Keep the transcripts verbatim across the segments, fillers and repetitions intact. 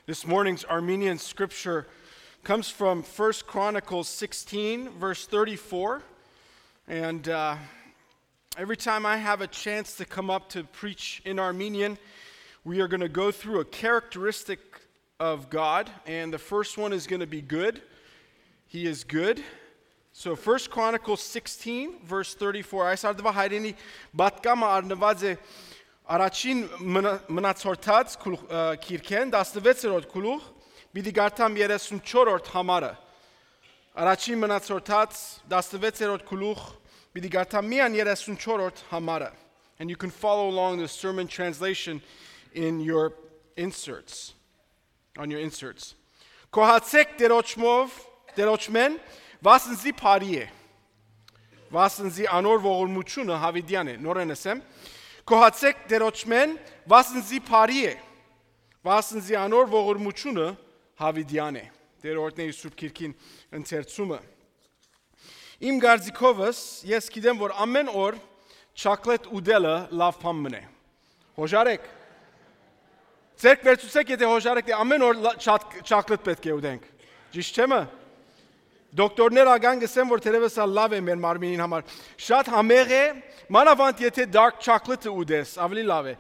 This morning's Armenian scripture comes from First Chronicles sixteen, verse thirty-four. And uh, every time I have a chance to come up to preach in Armenian, we are going to go through a characteristic of God. And the first one is going to be good. He is good. So First Chronicles sixteen, verse thirty-four. Այս արդուա հայրենի պատկամը առնուած է առաջին մնա- մնացորդաց գլուխ- ը, գիրքէն, տասնվեցերորդ գլուխ, պիտի կարդամ երեսունչորդ համարը։ Առաջին մնացորդաց, տասնվեցերորդ գլուխ, պիտի կարդամ միայն երեսունչորդ համարը։ And you can follow along the sermon translation in your inserts, on your inserts. Գոհացեք Տերոջմով, Տերոջմէն, վասն զի բարի է, վասն զի անոր ողորմությունը հավիտյան է։ Նորեն ըսեմ. Գոհացեք Տերոջմէն, վասն զի բարի է, վասն զի անոր ողորմությունը հավիտյան է։ Տեր օրհնէ իր Սուրբ Գիրքին ընթերցումը։ Իմ կարծիքովս, ես գիտեմ, որ ամեն օր չակլետ ուտելը լաւ բան մնե։ Հոժարեք։ Ձերք վերցուցեք, եթե հոժարեք, դե ամեն օր լա- չակ- չակլետ պէտք է ուտենք։ Ճիշտ չէ՞ մը։ Դոկտորներ ական կսեն, որ թերևս ա լաւ է մեր մարմինին համար։ Շատ համեղ է, մանավանդ եթե dark chocolate-ը ուտես, ավելի լաւ է։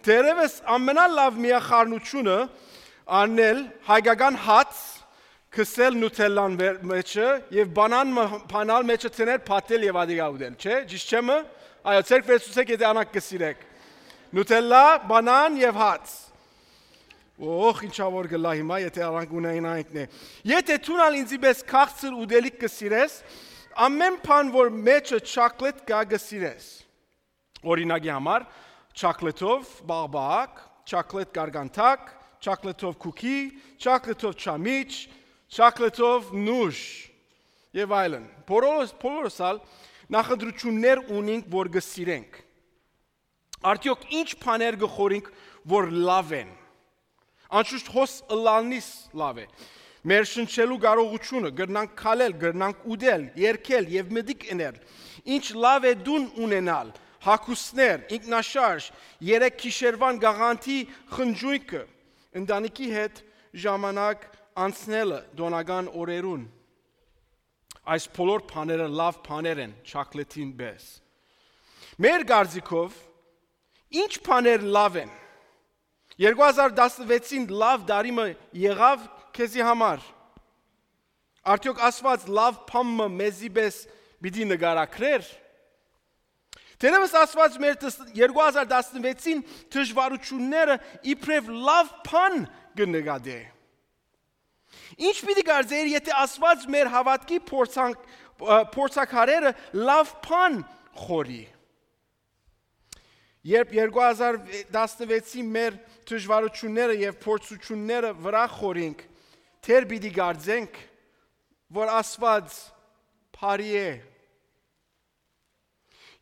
Թերևս ամենալաւ միախառնությունը առնել հայկական հաց, քսել Nutella-ն վեր- մեջը եւ բանան մը- բանալ մեջը, ցեներ փաթել եւ ադիգա ուտել, չէ՞։ Ճիշտ չէ՞ մը։ Այո, ձերք վերցուցեք, եթե անակ կսիրեք։ Nutella, բանան եւ հաց։ Օխ, ինչա որ գլա հիմա, եթե անակ ունենայինք նե։ Եթե դուն ալ ինձի պես քաղցր ուտելիք կսիրես, ամեն բան որ մեջը չակլետ կա կսիրես։ Օրինակի համար, չակլեթով բաղբաղակ, չակլետ գարգանթակ, չակլեթով քուքի, չակլեթով չամիչ, չակլեթով նուժ եւ այլն։ Բոլորս, բոլորս ալ նախընտրություններ ունենք, որ կսիրենք։ Արդյոք ինչ բաներ կը խորինք, որ լաւ են։ Անշուշտ հոս ըլլալնից լաւ է։ Մեր շնչելու կարողությունը, կրնանք քալել, կրնանք ուտել, երգել եւ մտիկ ընել։ Ինչ լաւ է դուն ունենալ, հագուստներ, ինքնաշարժ, երեք գիշերվան գաղանթի խնջույքը, ընտանիքի հետ ժամանակ անցնելը տոնական օրերուն։ Այս բոլոր բաները լաւ բաներ են, չակլեթին պես։ Մեր կարծիքով, ինչ բաներ լաւ են։ Երկու հազար տասնվեցին լաւ տարի մը եղա՞վ քեզի համար։ Արդյոք Աստուած լաւ բան մը մեզի պես պիտի նկարագրէր։ Թերևս Աստուած մեր տս- երկու հազար տասնվեցին դժվարությունները իբրեւ լաւ բան կը նկատէ։ Ինչ պիտի կարծէր, եթե Աստուած մեր հաւատքի փորձանք- ը, փորձակարերը լաւ բան խորի։ Երբ երկու հազար տասնվեցի մեր դժվարությունները եւ փորձությունները վրայ խորինք, թեր պիտի կարծենք, որ Աստուած բարի է։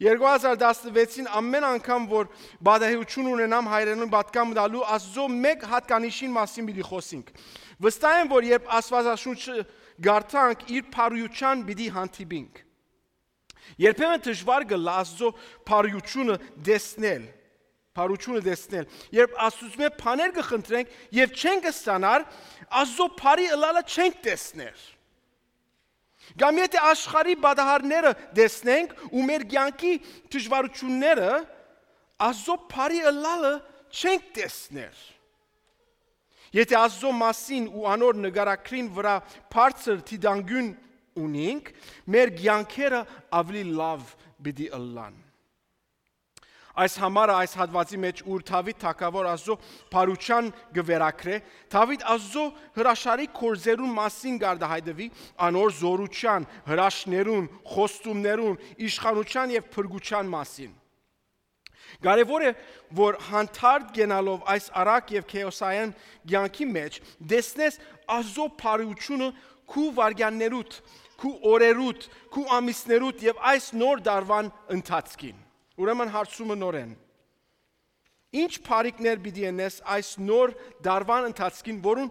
Երկու հազար տասնվեցին ամեն անգամ, որ բադահիություն ունենամ հայրենին պատկամ տալու, Աստուծոյ մէկ հատկանիշին մասին պիտի խոսենք։ Վստահ եմ, որ երբ Աստուածաշունչը կարդանք, իր բարիութեան պիտի հանդիպինք։ Երբեմն դժուար կ'ըլլայ Աստուծոյ բարիութիւնը տեսնել, բարիութիւնը տեսնել։ Երբ Աստուծմէ բաներ կը խնդրենք եւ չենք ստանար, Աստուծոյ բարի ըլլալը չենք տեսներ։ Կամ եթե աշխարհի պատահարները տեսնենք ու մեր կեանքի դժվարութիւնները, Աստուծոյ բարի ըլլալը չենք տեսներ։ Եթե Աստուծոյ մասին ու անոր նկարագրին վրայ բարձր դիտանկիւն ունինք, մեր կեանքերը աւելի լաւ պիտի ըլլան։ Այս համարը, այս հատուածի մէջ, ուր Դաւիթ թագաւոր Աստուծոյ բարիութեան կը վերագրէ, Դաւիթ Աստուծոյ հրաշալի գործերուն մասին կ'արտահայտուի, անոր զօրութեան, հրաշքներուն, խոստումներուն, իշխանութեան եւ փրկութեան մասին։ Կարեւոր է, որ հանդարտ կենալով այս արագ եւ քէոսային կեանքի մէջ, տեսնես Աստուծոյ բարիութիւնը քու վայրկեաններուդ, քու օրերուդ, քու ամիսներուդ եւ այս նոր տարուան ընթացքին։ Ուրեմն հարցումը նորէն. ինչ բարիքներ պիտի ընես այս նոր տարուան ընթացքին, որուն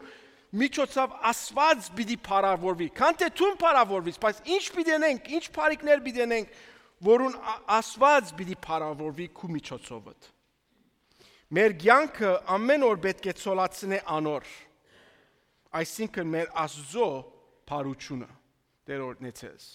միջոցով Աստուած պիտի փառաւորուի։ Քան թէ դուն փառաւորվիս, բայց ինչ պիտի ընենք, ինչ բարիքներ պիտի ընենք, որուն Ա- Աստուած պիտի փառաւորուի քու միջոցովդ։ Մեր կեանքը ամեն օր պէտք է ցոլացնէ անոր։ Այսինքն մեր Աստուծոյ բարութիւնը, Տէր օրհնեցես։